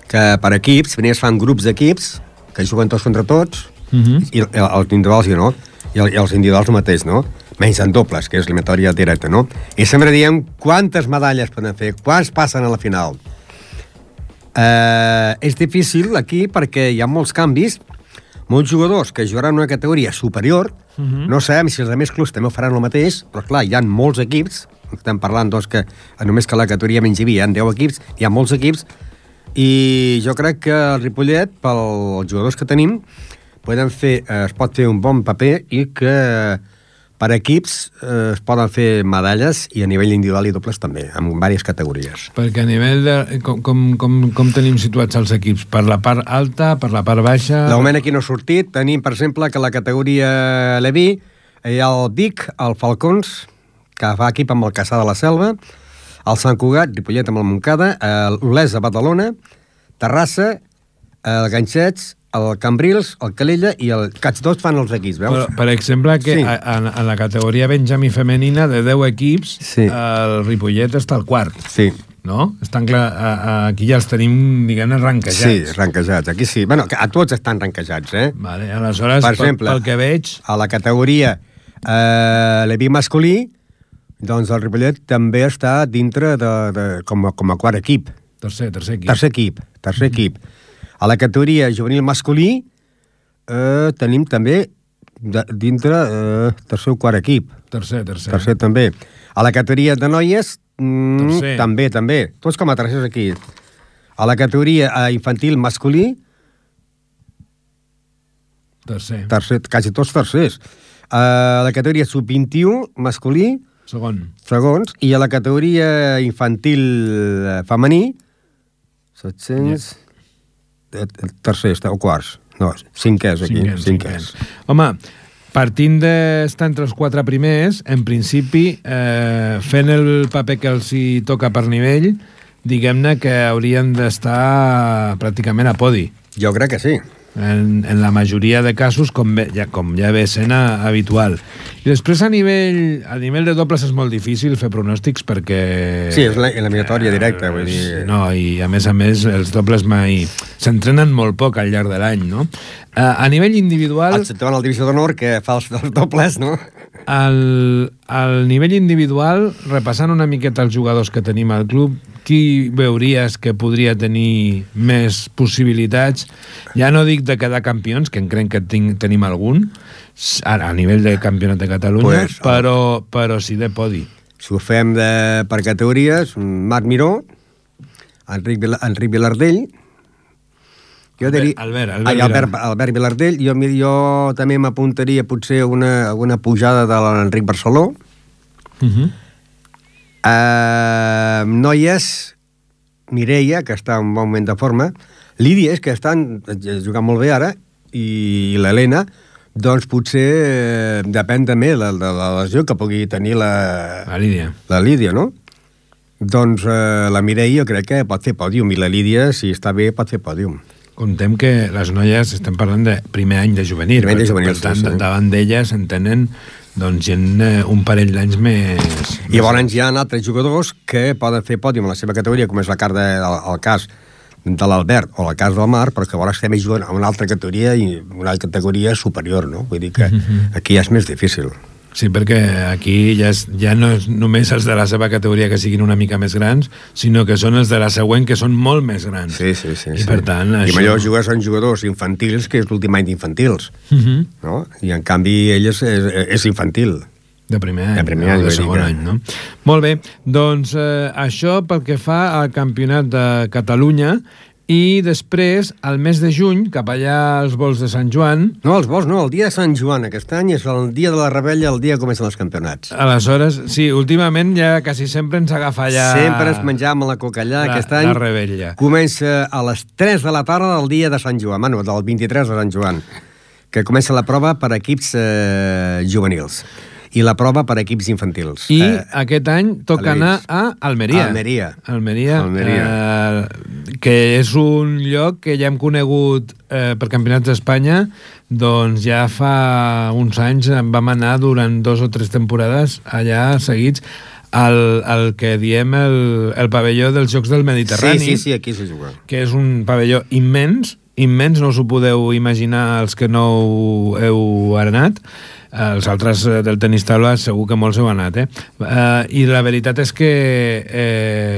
que per equips, primer es fan grups d'equips que juguen tots contra tots, i els individuals no, i els individuals el mateix, no? Menys en dobles, que és eliminatòria directa, no? I sempre diem quantes medalles poden fer, quants passen a la final. És difícil aquí perquè hi ha molts canvis, molts jugadors que jugaran una categoria superior, no sabem si els altres clubs també ho faran el mateix, però clar, hi ha molts equips, estem parlant doncs que només que la categoria menys hi havia 10 equips, hi ha molts equips, i jo crec que el Ripollet, pels jugadors que tenim, es pot fer un bon paper i que per equips es poden fer medalles i a nivell individual i dobles també, en diverses categories. Perquè a nivell de... Com tenim situats els equips? Per la part alta, per la part baixa? De moment aquí no ha sortit. Tenim, per exemple, que la categoria Leví hi ha el Vic, el Falcons, que fa equip amb el Caçà de la Selva, el Sant Cugat, Ripollet amb el Montcada, l'Olesa de Badalona, Terrassa, el Ganxets, el Cambrils, el Calella i el Cats 2 fan els equips, veus? Però, per exemple, que en la categoria Benjamí femenina de 10 equips, el Ripollet està al quart. Sí. No? Estan clar, aquí ja els tenim, diguem-ne, ranquejats. Sí, ranquejats. Aquí sí. Bueno, a tots estan ranquejats, eh? Vale, aleshores, per exemple, pel que veig... A la categoria Leví masculí, doncs el Ripollet també està dintre com a quart equip. Tercer equip. Tercer equip. A la categoria juvenil masculí tenim també dintre tercer o quart equip. Tercer també. A la categoria de noies també. Tots com a tercers aquí. A la categoria infantil masculí tercer, quasi tots tercers. A la categoria sub-21 masculí segons. I a la categoria infantil femení 700... tercers o quarts. No, cinquers aquí. Cinquers. Home, partint d'estar entre els 4 primers, en principi, fent el paper que els hi toca per nivell, diguem-ne que haurien d'estar pràcticament a podi. Jo crec que sí. En la majoria de casos, com ja ve sent habitual. I després a nivell de dobles és molt difícil fer pronòstics perquè... Sí, és l'eliminatòria directa, vull dir... No, i a més els dobles mai... S'entrenen molt poc al llarg de l'any, no? A nivell individual... Excepte en el divisió d'honor, que fa els dobles, no? Al nivell individual, repassant una miqueta els jugadors que tenim al club, qui veuries que podria tenir més possibilitats? Ja no dic de quedar campions, que crec que tenim algun, a nivell de campionat de Catalunya, però sí de podi. Si ho fem per categories, Marc Miró, Enric Vilardell, Albert Vilardell, jo també m'apuntaria potser alguna pujada de l'Enric Barceló. Noies, Mireia, que està en bon moment de forma, Lídia, que estan jugant molt bé ara, i l'Helena, doncs potser depèn també de la lesió que pugui tenir la Lídia, no? Doncs la Mireia jo crec que pot fer pòdium, i la Lídia, si està bé, pot fer pòdium. Contem que les noies estem parlant de primer any de juvenil, per tant, davant d'elles en tenen doncs gent un parell d'anys més... I llavors hi ha altres jugadors que poden fer pòdium a la seva categoria, com és el cas de l'Albert o el cas del Marc, però que llavors estem jugant a una altra categoria i una categoria superior, no? Vull dir que aquí ja és més difícil. Sí, perquè aquí ja no és només els de la seva categoria que siguin una mica més grans, sinó que són els de la següent que són molt més grans. Sí. I per tant, I això... millor jugar són jugadors infantils, que és l'últim any d'infantils. No? I en canvi ell és infantil. De primer any, de segon any, no? Molt bé, doncs això pel que fa al Campionat de Catalunya. I després, al mes de juny, cap allà als vols de Sant Joan... No, els vols no, el dia de Sant Joan aquest any és el dia de la rebella, el dia que comencen els campionats. Aleshores, sí, últimament ja quasi sempre ens agafa allà... Sempre es menjàvem a la coca allà, aquest any... La rebella. Comença a les 3 de la tarda del dia de Sant Joan, bueno, del 23 de Sant Joan, que comença la prova per equips juvenils. I la prova per equips infantils. I aquest any toca anar a Almeria. Almeria, que és un lloc que ja hem conegut per campionats d'Espanya, doncs ja fa uns anys vam anar durant 2 o 3 temporades allà seguits al que diem el pavelló dels Jocs del Mediterrani. Sí, aquí s'hi juga. Que és un pavelló immens, no us ho podeu imaginar els que no heu anat. Els altres del tenis taula segur que molts heu anat, I la veritat és que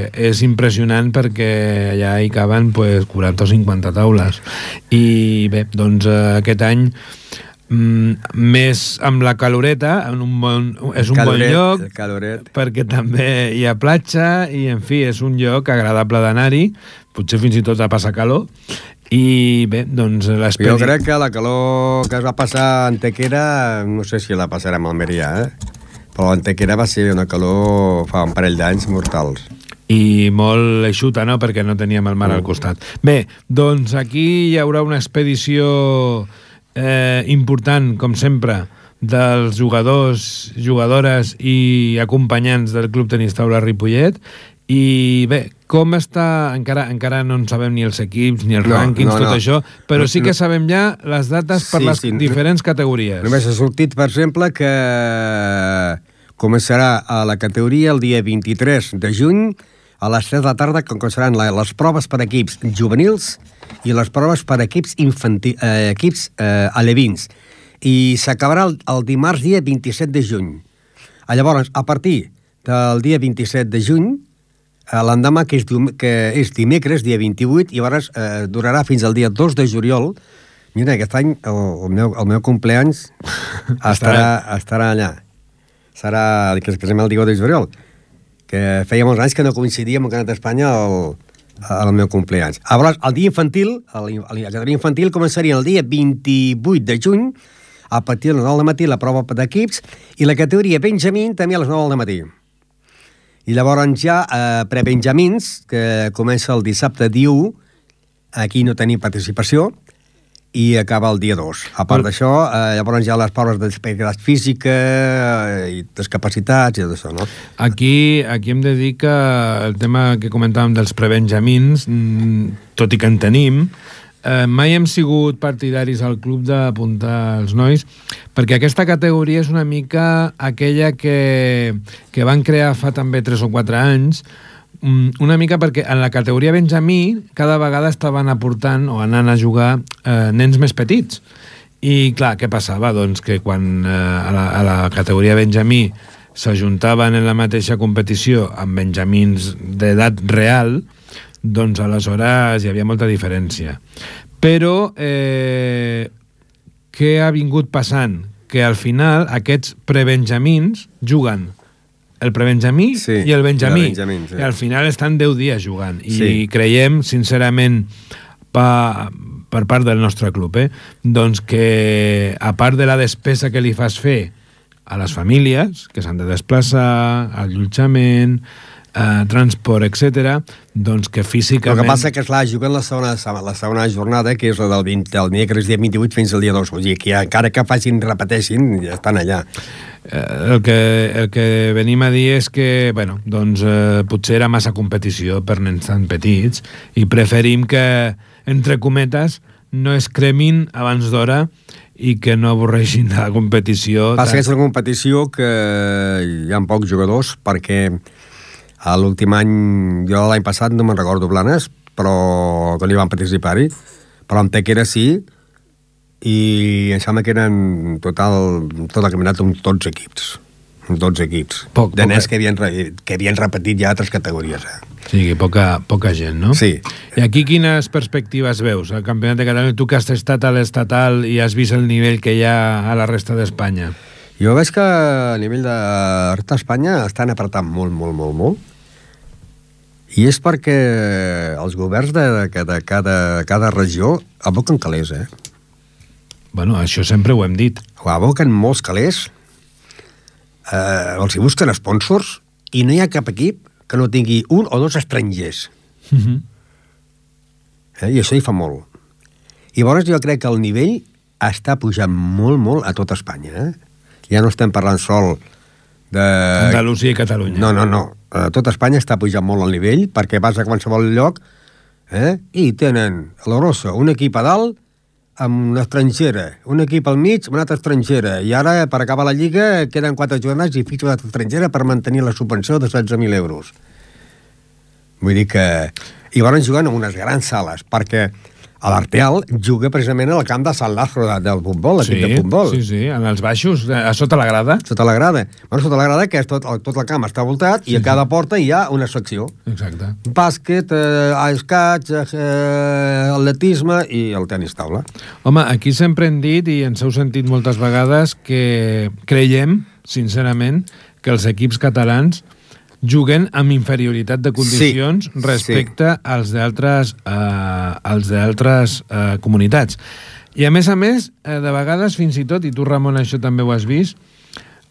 és impressionant perquè allà hi caben 40 o 50 taules. I bé, doncs aquest any més amb la caloreta, és un bon lloc perquè també hi ha platja i, en fi, és un lloc agradable d'anar-hi, potser fins i tot a passar calor. I bé, doncs Jo crec que la calor que es va passar a Antequera no sé si la passarem a Almeria, però a Antequera va ser una calor fa un parell d'anys mortals. I molt eixuta, no?, perquè no teníem el mar al costat. Bé, doncs aquí hi haurà una expedició important, com sempre, dels jugadors, jugadores i acompanyants del Club Tenis Taula Ripollet. I bé, com està... Encara no en sabem ni els equips, ni els rànquings, tot això, però sí que sabem ja les dates per les diferents categories. Només ha sortit, per exemple, que començarà a la categoria el dia 23 de juny a les 3 de la tarda, que començaran les proves per equips juvenils i les proves per equips alevins. I s'acabarà el dimarts dia 27 de juny. Llavors, a partir del dia 27 de juny, l'endemà, que és dimecres, dia 28, i llavors durarà fins al dia 2 de juliol. Mira, aquest any el meu compleanys estarà allà. Serà el dia 2 de juliol, que feia molts anys que no coincidíem amb el Campionat d'Espanya el meu compleanys. Llavors, el dia infantil, la categoria infantil començaria el dia 28 de juny, a partir de les 9 del matí, la prova d'equips, i la categoria Benjamín també a les 9 del matí. I llavors ja prebenjamins, que comença el dissabte dia 1, aquí no tenim participació, i acaba el dia 2. A part d'això, llavors ja les proves d'activitat física i discapacitats i tot això, no? Aquí hem de dir que el tema que comentàvem dels prebenjamins, tot i que en tenim, mai hem sigut partidaris al club d'apuntar els nois, perquè aquesta categoria és una mica aquella que van crear fa també 3 o 4 anys, una mica perquè en la categoria Benjamí cada vegada estaven aportant o anant a jugar nens més petits. I clar, què passava? Doncs que quan a la categoria Benjamí s'ajuntaven en la mateixa competició amb benjamins d'edat real, doncs aleshores hi havia molta diferència. Però què ha vingut passant? Que al final aquests prebenjamins juguen el prebenjamí i el benjamí. I al final estan 10 dies jugant. I creiem, sincerament, per part del nostre club, doncs que a part de la despesa que li fas fer a les famílies, que s'han de desplaçar, allotjament, transport, etc., doncs que físicament... El que passa que, clar, juguen la segona jornada, que és la del dimecres dia 28 fins al dia 2. Vull dir que encara que repeteixin, ja estan allà. El que venim a dir és que, bueno, doncs potser era massa competició per nens tan petits i preferim que entre cometes, no es cremin abans d'hora i que no avorreixin de la competició. Passa que és una competició que hi ha pocs jugadors, perquè a l'últim any, jo l'any passat no me'n recordo Blanes, però que no hi van participar-hi, però en Tequera sí, i em sembla que eren tot el campionat uns 12 equips. 12 equips. De nens que havien repetit ja altres categories. Sí, poca gent, no? Sí. I aquí quines perspectives veus? El Campionat de Catalunya, tu que has estat a l'estatal i has vist el nivell que hi ha a la resta d'Espanya. Jo veig que a nivell de la resta d'Espanya estan apretant molt. I és perquè els governs de cada regió aboquen calés, Bueno, això sempre ho hem dit. Aboquen molts calés, els hi busquen sponsors, i no hi ha cap equip que no tingui un o dos estrangers. I això hi fa molt. I llavors jo crec que el nivell està pujant molt a tot Espanya. Ja no estem parlant sol de... Andalusia i Catalunya. No. A tot Espanya està pujant molt el nivell, perquè vas a qualsevol lloc i tenen a l'Orosa un equip a dalt amb una estrangera, un equip al mig amb una altra estrangera, i ara per acabar la lliga queden 4 jornades i fitxa una altra estrangera per mantenir la subvenció de 16.000 euros. Vull dir que... I van jugant en unes grans sales, perquè a l'Arteal juga precisament al camp de Sant Lázaro del futbol, l'equip de futbol. Sí, en els baixos, a sota la grada. Sota la grada. Bueno, sota la grada, que és tot el camp està voltat, i a cada porta hi ha una secció. Exacte. Bàsquet, escaig, atletisme i el tenis taula. Home, aquí sempre hem dit, i ens heu sentit moltes vegades, que creiem, sincerament, que els equips catalans juguen amb inferioritat de condicions respecte als d'altres comunitats. I a més, de vegades, fins i tot, i tu, Ramon, això també ho has vist,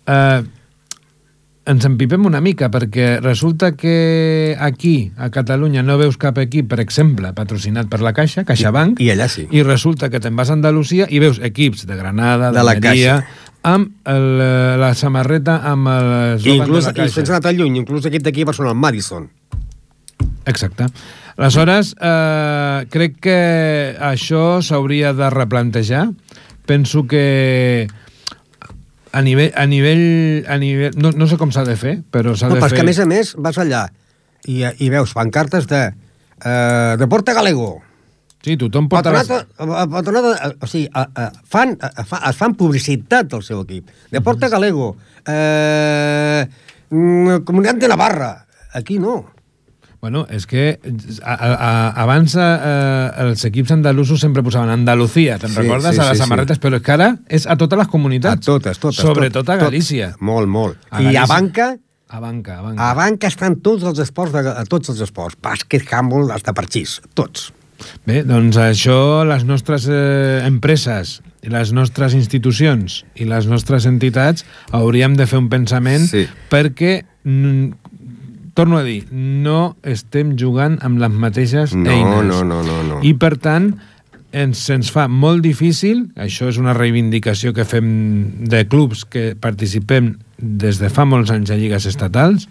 ens empipem una mica, perquè resulta que aquí, a Catalunya, no veus cap equip, per exemple, patrocinat per la Caixa, CaixaBank, i allà sí. I resulta que te'n vas a Andalusia i veus equips de Granada, de la Caixa, amb la samarreta amb l'eslògan de la Caixa. I sense anar tan lluny, inclús l'equip d'aquí a Barcelona, el Madison. Exacte. Aleshores, crec que això s'hauria de replantejar. Penso que a nivell no sé com s'ha de fer, però s'ha de fer... Perquè a més vas allà i veus pancartes de Deporte Galego. Sí, tothom pot... O sigui, es fan publicitat del seu equip. Deporte Galego, Comunitat de Navarra. Aquí no. Bueno, és que abans els equips andalusos sempre posaven Andalucía, te'n recordes? A les samarretes, però és que ara és a totes les comunitats. A totes. Sobretot a Galícia. Molt. I a Banca... A Banca. A Banca estan tots els esports. Bàsquet, handball, hasta parxís. Tots. Bé, doncs això les nostres empreses i les nostres institucions i les nostres entitats hauríem de fer un pensament perquè, torno a dir, no estem jugant amb les mateixes eines. No. I per tant, ens fa molt difícil, això és una reivindicació que fem de clubs que participem des de fa molts anys a lligues estatals,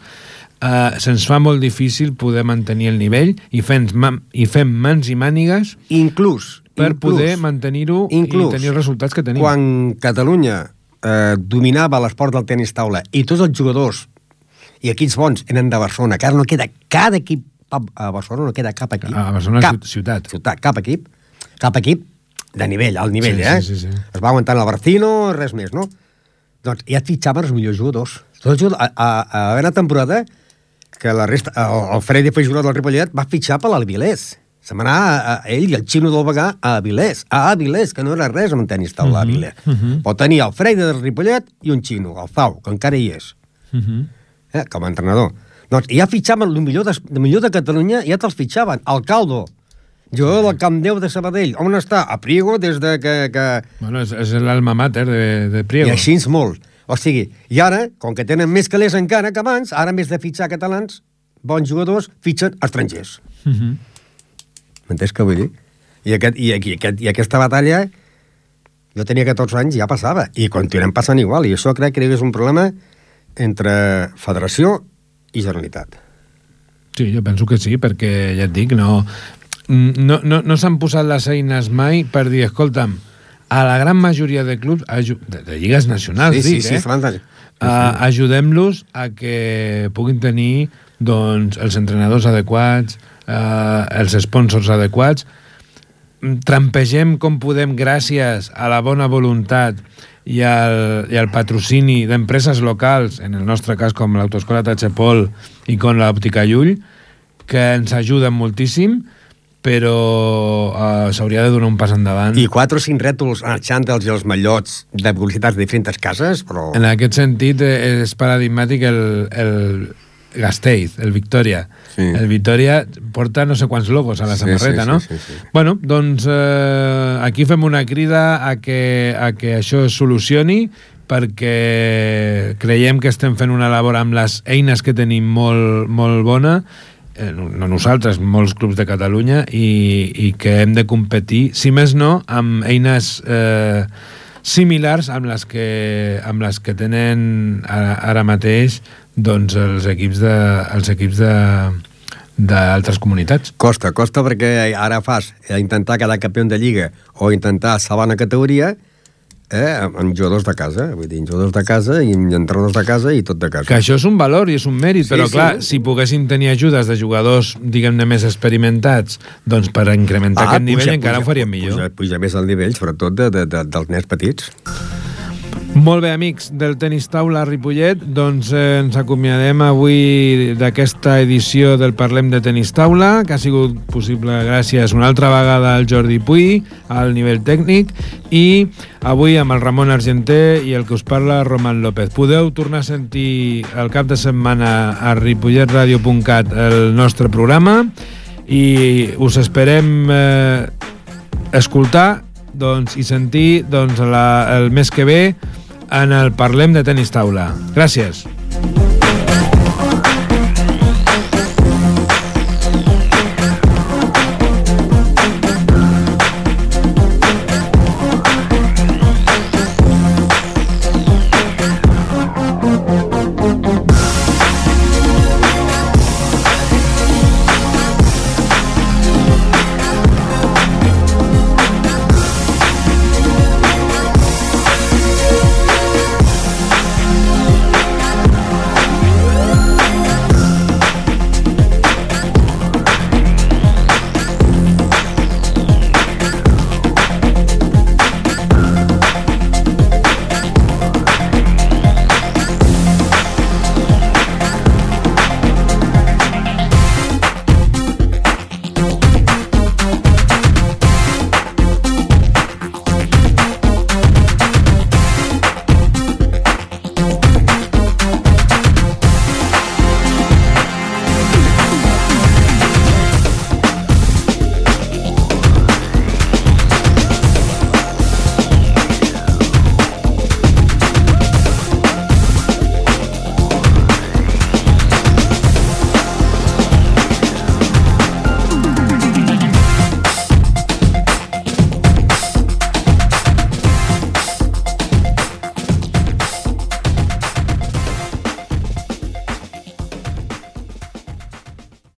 se'ns fa molt difícil poder mantenir el nivell i fem mans i mànigues per poder mantenir-ho i tenir els resultats que tenim. Quan Catalunya dominava l'esport del tenis taula i tots els jugadors i equips bons eren de Barcelona, que ara no queda cada equip a Barcelona, no queda cap equip. A Barcelona ciutat. Cap equip de nivell, alt nivell, Sí. Es va aguantant el Barcino, res més, no? Doncs ja et fitxaven els millors jugadors. A una temporada que la resta, el Freddy fue jugador del Ripollet, va fitxar per l'Avilés. Se'n va anar ell i el Xino del Bagà a Avilés, que no era res amb tenis taula a Avilés. Pot tenir el Freddy del Ripollet i un Xino, el Zau, que encara hi és, com a entrenador. Doncs ja fitxaven el millor de Catalunya, ja te'ls fitxaven. El Caldo, jugador del Camp 10 de Sabadell. On està? A Priego, des de que... Bueno, és l'alma mater de Priego. I així és molt. O sigui, i ara, com que tenen més calés encara que abans, ara en vez de fitxar catalans, bons jugadors, fitxen estrangers. M'entens què vull dir? I aquesta batalla, jo tenia 14 anys i ja passava, i continuem passant igual, i això crec que és un problema entre federació i Generalitat. Sí, jo penso que sí, perquè ja et dic, no... no s'han posat les eines mai per dir, escolta'm, a la gran majoria de clubs, de lligues nacionals, ajudem-los a que puguin tenir doncs, els entrenadors adequats, els sponsors adequats, trampegem com podem gràcies a la bona voluntat i al patrocini d'empreses locals, en el nostre cas com l'Autoescola Tachepol i com l'Òptica Llull, que ens ajuden moltíssim, però s'hauria de donar un pas endavant. I 4 o 5 rètols, els xàntels i els mallots de publicitats de diferents cases, però... En aquest sentit és paradigmàtic el Gasteiz, el Victoria. Sí. El Victoria porta no sé quants logos a la samarreta, no? Sí. Bueno, doncs aquí fem una crida a que això es solucioni, perquè creiem que estem fent una labor amb les eines que tenim molt, molt bona, no nosaltres, molts clubs de Catalunya, i que hem de competir, si més no, amb eines similars amb les que tenen ara mateix doncs els equips d'altres comunitats. Costa perquè ara fas intentar quedar campió de Lliga o intentar salvar una categoria amb jugadors de casa, vull dir, jugadors de casa i entrenadors de casa i tot de casa. Que això és un valor i és un mèrit, però clar, si poguessin tenir ajudes de jugadors, diguem-ne, més experimentats, doncs per incrementar aquest nivell encara ho faríem millor. Puja més el nivell, sobretot dels nens petits. Molt bé, amics del Tenis Taula Ripollet, doncs ens acomiadem avui d'aquesta edició del Parlem de Tenis Taula, que ha sigut possible gràcies una altra vegada al Jordi Puy, al nivell tècnic, i avui amb el Ramon Argenter i el que us parla, Roman López. Podeu tornar a sentir el cap de setmana a ripolletradio.cat el nostre programa i us esperem escoltar i sentir el mes que ve en el Parlem de Tenis Taula. Gràcies.